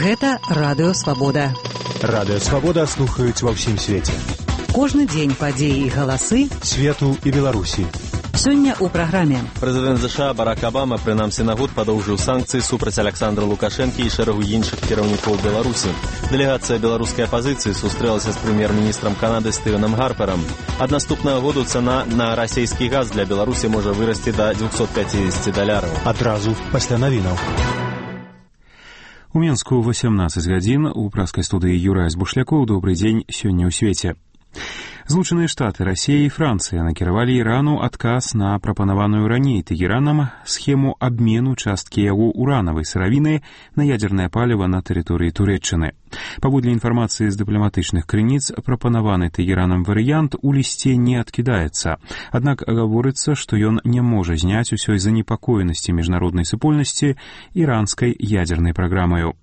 Гэта Радыё Свабода. Радыё Свабода слухаюць ва ўсім свеце. Кожны дзень падзеі і галасы свету і Беларусі. Сёння ў праграме. Прэзідэнт США Барак Абама прынамсі на год падоўжыў санкцыі супраць Александра Лукашэнкі і шэрагу іншых кіраўнікоў Беларусі. Дэлегацыя беларускай апазіцыі сустрэлася з прэм'ер-міністрам Канады Стывенам Гарперам. Ад наступнага году цана на расійскі газ для Беларусі можа вырасці да $250. Адразу пасля навінаў. У Мінску 18 гадзін у праскай студыі Юрай Збушлякоў. Добрый дзень сёння ў свеце. Злучаныя Штаты, Расія і Францыя накіравалі Ірану адказ на прапанаваную раней Тэгеранам схему абмену часткі яго уранавай сыравіны на ядзернае паліва на тэрыторыі Турэччыны. Паводле інфармацыі з дыпламатычных крыніц, прапанаваны Тэгеранам варыянт у лісце не адкідаецца. Аднак гаворыцца, што ён не можа зняць усёй занепакоенасці міжнароднай супольнасці іранскай ядзернай праграмаю.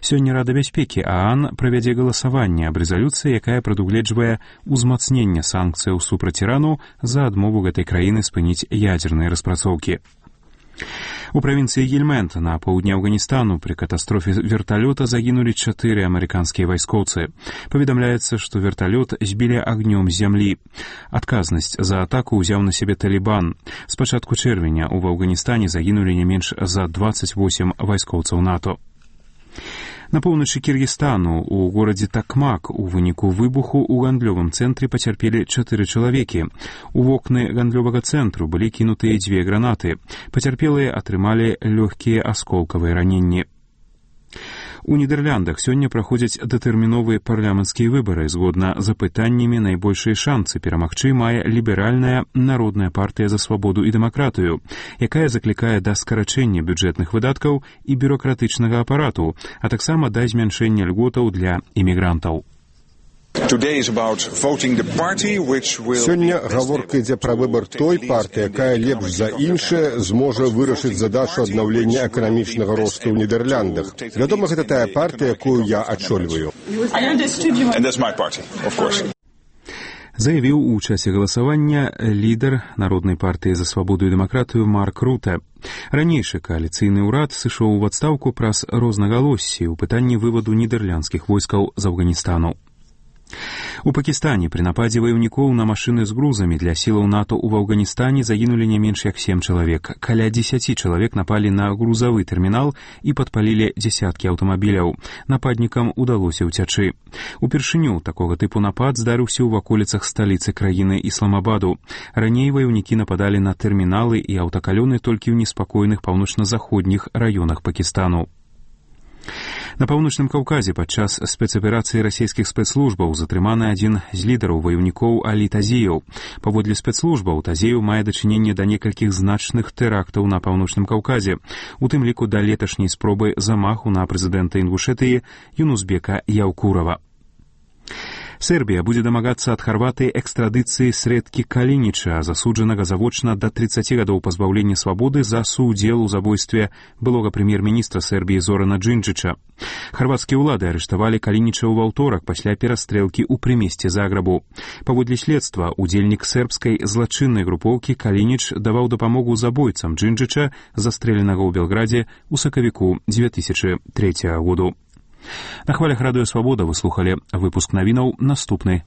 Сёння Рада бяспекі ААН правядзе галасаванне аб рэзалюцыі, якая прадугледжвае ўзмацненне санкцыяў супраць Ірану за адмову гэтай краіны спыніць ядзерныя распрацоўкі. У правінцыі Гельманд на паўдні Афганістану пры катастрофе верталёта загінулі 4 амерыканскія вайскоўцы. Паведамляецца, што верталёт збілі агнём з зямлі. Адказнасць за атаку ўзяў на сябе Талібан. З пачатку чэрвеня ў Афганістане загінулі не менш за 28 вайскоўцаў НАТО. На поўначы Кіргізстану у горадзе Такмак у выніку выбуху ў гандлёвым цэнтры пацярпелі 4 чалавекі. У вокны гандлёвага цэнтру былі кінутыя 2 гранаты. Пацярпелыя атрымалі лёгкія асколкавыя раненні. У Нідэрляндах сёння праходзяць датэрміновыя парламенцкія выбары. Згодна з апытаннямі найбольшыя шанцы перамагчы мае ліберальная народная партыя за свабоду і дэмакратыю, якая заклікае да скарачэння бюджэтных выдаткаў і бюрократычнага апарату, а таксама да змяншэння льготаў для імігрантаў. Сёння гаворка ідзе пра выбар той партыі, якая лепш за іншае зможа вырашыць задачу аднаўлення эканамічнага росту ў Нідерландах. Вядома, гэта тая партыя, якую я ачольваю. Заявіў у часе галасавання лідар народнай партыі за свабоду і дэмакратыю Марк Рута. Ранейшы кааліцыйны ўрад сышоў у адстаўку праз рознагалоссі ў пытанні вываду нідерландскіх войскаў з Афганістану. У Пакістане пры нападзе ваяўнікоў на машыны з грузамі для сілаў НАТО ў Афганістане загінулі не менш як 7 чалавек. Каля 10 чалавек напалі на грузавы тэрмінал і падпалілі дзесяткі аўтамабіляў. Нападнікам удалося ўцячы. Упершыню такога тыпу напад здарыўся ў ваколіцах сталіцы краіны Ісламабаду. Раней ваяўнікі нападалі на тэрміналы і аўтакалёны толькі ў неспакойных паўночна-заходніх раёнах Пакістану. На Паўночным Каўказе падчас спецаперацыі расійскіх спецслужбаў затрыманы адзін з лідараў ваяўнікоў Алі Тазеяў. Паводле спецслужбаў Тазеяў мае дачыненне да некалькіх значных тэрактаў на Паўночным Каўказе, у тым ліку да леташняй спробы замаху на прэзідэнта Інгушэтыі Юнузбека Яўкурава. Сербія будзе дамагацца ад Харватыі экстрадыцыі Среткі Калініча, засуджанага завочна да 30 гадоў пазбаўлення свабоды за суудзел у забойстве былога прэм'ер-міністра Сербіі Зорана Джинджыча. Харватскія ўлады арыштавалі Калініча ў аўторак пасля перастрэлкі ў прымесце Заграбу. Паводле следства, удзельнік сербскай злачыннай групоўкі Калініч даваў дапамогу забойцам Джинджыча, застрэленага ў Белградзе ў сакавіку 2003 году. На хвалях Радыё Свабода вы слухалі выпуск навінаў. Наступны